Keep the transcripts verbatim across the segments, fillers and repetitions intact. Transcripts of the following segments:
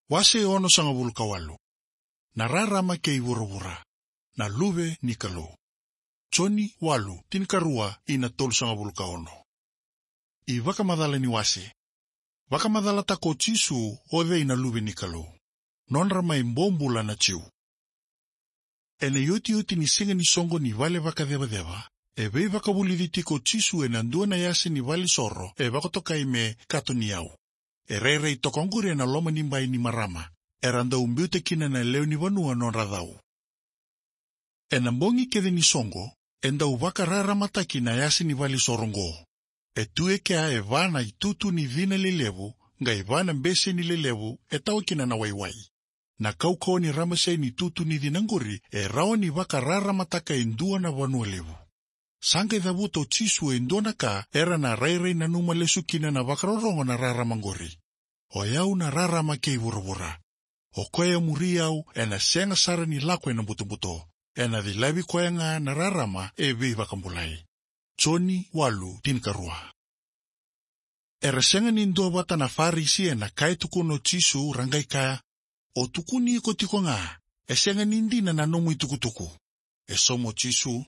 Wase onosagavulu ka walu. Na rarama kei vuravura. Na Luve ni Kalou. Joni walu, tinikarua ina tolusagavulu ka ono. iVakamacala ni wase. Vakamacalataka o Jisu o cei na Luve ni Kalou. Nodra mai bobula na Jiu. Ena iotioti ni siga ni soqo ni vale vakacevaceva, e veivakavulici tiko o Jisu ena dua na yasa ni valenisoro e vakatokai me Kato ni Yau. E rairai toka oqori ena loma ni bai ni marama era dau biuta kina na lewe ni vanua nodra cau. Ena bogi kece ni soqo, e dau vakararamataki na yasa ni valenisoro oqo. E tu e kea e va na itutu ni cina lelevu, qai va na beseni lelevu e tawa kina na waiwai. Na kaukauwa ni ramase ni itutu ni cina oqori e rawa ni vakararamataka e dua na vanua levu. Sa qai cavuta o Jisu e dua na ka era na rairai nanuma lesu kina na vakarorogo na rarama oqori. O yau na rarama kei vuravura. O koya e muri au ena sega sara ni lako ena butobuto. Ena cilavi koya ga na rarama e veivakabulai. Joni walu, tinikarua. Era sega ni duavata na Farisi ena ka e tukuna o Jisu, ra qai kaya, "O tukuni iko tiko ga, e sega ni dina na nomu itukutuku." E sauma o Jisu,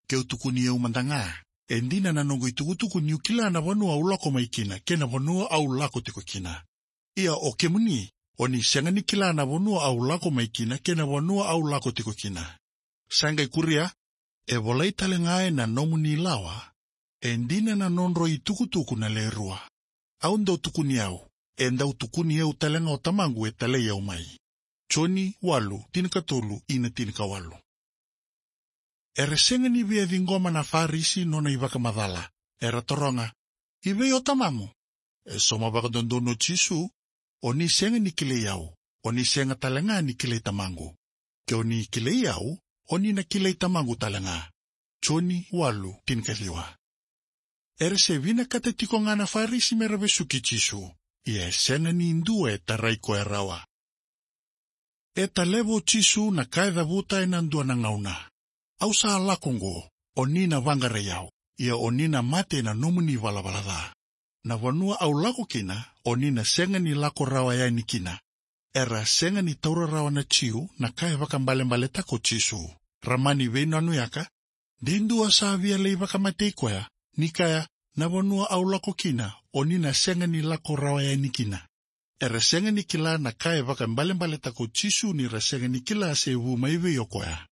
"Keu tukuni au mada ga, e dina na noqu itukutuku niu kila na vanua au lako mai kina kei na vanua au lako tiko kina. Ia o kemuni, o ni sega ni kila na vanua au lako mai kina kei na vanua au lako tiko kina. Sa qai kuria, e volai tale ga ena nomuni lawa, e dina na nodrau itukutuku na lewe rua. Au dau tukuni au, e dau tukuni au tale ga o Tamaqu e talai au mai." Joni walu, tinikatolu ina tinikawalu. Era sega ni via ciqoma na Farisi nona ivakamacala. Era taroga, "I vei o tamamu?" E sauma vakadodonu o Jisu, "O ni sega ni kilai au, o ni sega tale ga ni kilai Tamaqu. Ke o ni kilai au, o ni na kilai Tamaqu tale ga." Joni walu, tinikaciwa. Era se vinakata tiko ga na Farisi mera vesuki Jisu, ia e sega ni dua e tarai koya rawa. E taleva o Jisu na ka e cavuta ena dua na gauna. "Au sa lako oqo, o ni na vaqarai au, ia o ni na mate ena nomuni valavala ca. Na vanua au lako kina, o ni na sega ni lako rawa yani kina." Era sega ni taura rawa na Jiu na ka e vakaibalebaletaka o Jisu. Ra mani veinanuyaka, "De dua sa via lai vakamatei koya, ni kaya, 'Na vanua au lako kina, o ni na sega ni lako rawa yani kina.'" Era sega ni kila na ka e vakaibalebaletaka o Jisu ni ra sega ni kila se vu mai vei o koya.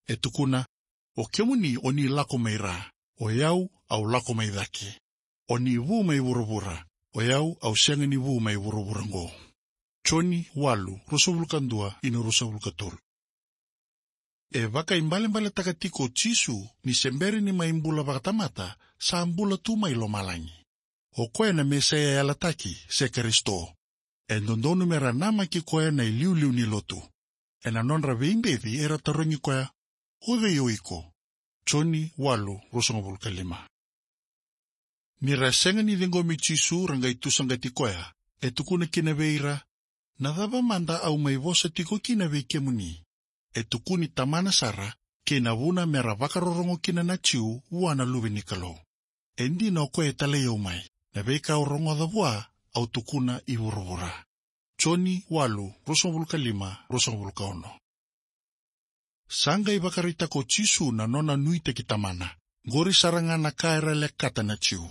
E tukuna, "O kemuni o ni lako mai ra, o yau au lako mai cake. O ni vu mai vuravura, o yau au sega ni vu mai vuravura oqo." Joni walu, ruasagavulu ka dua ina ruasagavulu ka tolu. E vakaibalebaletaka tiko o Jisu ni se bera ni mai bula vakatamata, sa bula tu mai lomalagi. O koya na Mesaia yalataki, se Karisito. E dodonu mera namaki koya na iliuliu ni lotu. Ena nodra veibeci era tarogi koya, "O cei o iko?" Joni walu, ruasagavulu ka lima. Ni ra sega ni ciqomi Jisu ra qai tusaqati koya, e tukuna kina vei ira, "Na cava mada au mai vosa tiko kina vei kemuni?" E tukuni Tamana sara, kei na vuna mera vakarorogo kina na Jiu vua na Luve ni Kalou. E dina o koya e talai au mai, na veika au rogoca vua, au tukuna i vuravura. Joni walu, ruasagavulu ka lima, ruasagavulu ka ono. Sa qai vakaraitaka o Jisu na nona nuitaki Tamana. Qori sara ga na ka era lekata na Jiu.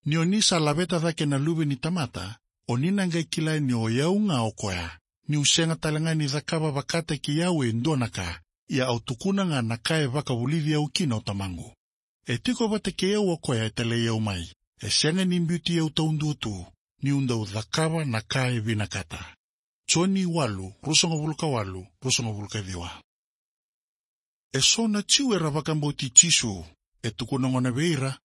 "Ni o ni sa laveta cake na Luve ni tamata, o ni na qai kila ni o yau ga o koya, niu sega tale ga ni cakava vakataki au e dua na ka, ia au tukuna ga na ka e vakavulici au kina o Tamaqu. E tiko vata kei au o koya e talai au mai, e sega ni biuti au taudua tu, niu dau cakava na ka e vinakata." Joni walu, ruasagavulu ka walu, ruasagavulu ka ciwa. Eso na Jiu era vakabauti Jisu, e tukuna gona vei ira,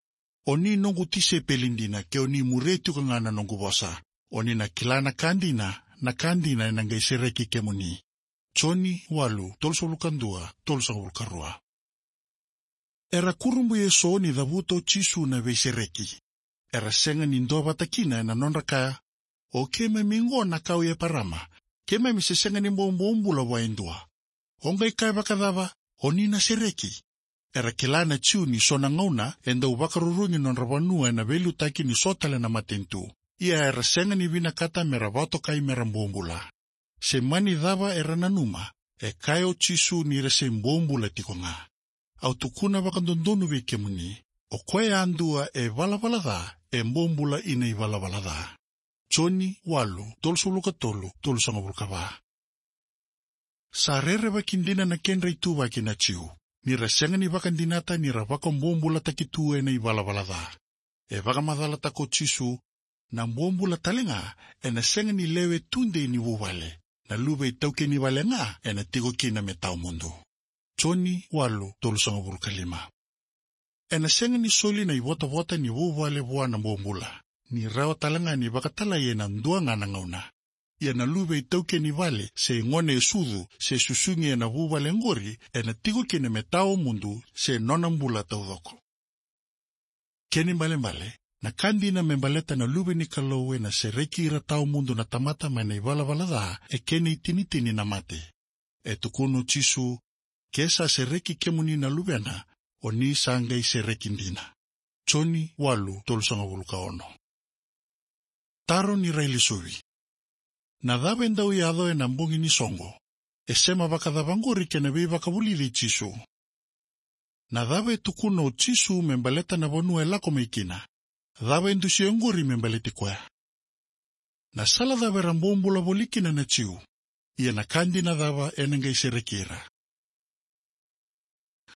"O ni noqu tisaipeli dina ke o ni muria tiko ga na noqu vosa. O ni na kila na ka dina, na ka dina ena qai sereki kemuni." Joni walu, tolusagavulu ka dua, tolusagavulu ka rua. Era kurabui eso ni cavuta o Jisu na veisereki. Era sega ni duavata kina ena nodra kaya, "O keimami qo na kawa i Eparama, keimami se sega ni bobobula vua e dua. O qai kaya vakacava, 'O ni na sereki'?" Era kila na Jiu ni so na gauna e dau vakarurugi nodra vanua ena veiliutaki ni so tale na matanitu. Ia era sega ni vinakata mera vakatokai mera bobula. Se mani cava era nanuma, e kaya o Jisu ni ra se bobula tiko ga. Au tukuna vakadodonu vei kemuni, o koya yadua e valavala ca, e bobula ina ivalavala ca. Joni walu, tolusagavulu ka tolu, tolusagavulu ka va. Sa rerevaki dina na kedra ituvaki na Jiu, ni ra sega ni vakadinata ni ra vakabobulataki tu ena ivalavala ca. E vakamacalataka o Jisu, na bobula tale ga, ena sega ni lewe tudei ni vuvale, na luve itaukei ni vale ga, ena tiko kina me tawa mudu. Joni walu, tolusagavulu ka lima. Ena sega ni soli na ivotavota ni vuvale vua na bobula, ni rawa tale ga ni vakatalai ena dua ga na gauna. Ia na luve itaukei ni vale, se gone e sucu, se susugi ena vuvale oqori, ena tiko kina me tawa mudu, se nona bula taucoko. Kena ibalebale, na ka dina me baleta na luve ni Kalou ena sereki ira tawa mudu na tamata mai na ivalavala ca, e kena itinitini na mate. E tukuna o Jisu, ke sa sereki kemuni na luvena, o ni sa qai sereki dina. Joni walu, tolusagavulu ka ono. Taro ni railesuvi. Na cava e dau yaco ena bogi ni soqo? E sema vakacava oqori kei na veivakavulici i Jisu? Na cava e tukuna o Jisu me baleta na vanua e lako mai kina? Cava e dusia oqori me baleti koya? Na sala cava era bobula voli kina na Jiu? Ia na ka dina cava ena qai sereki ira?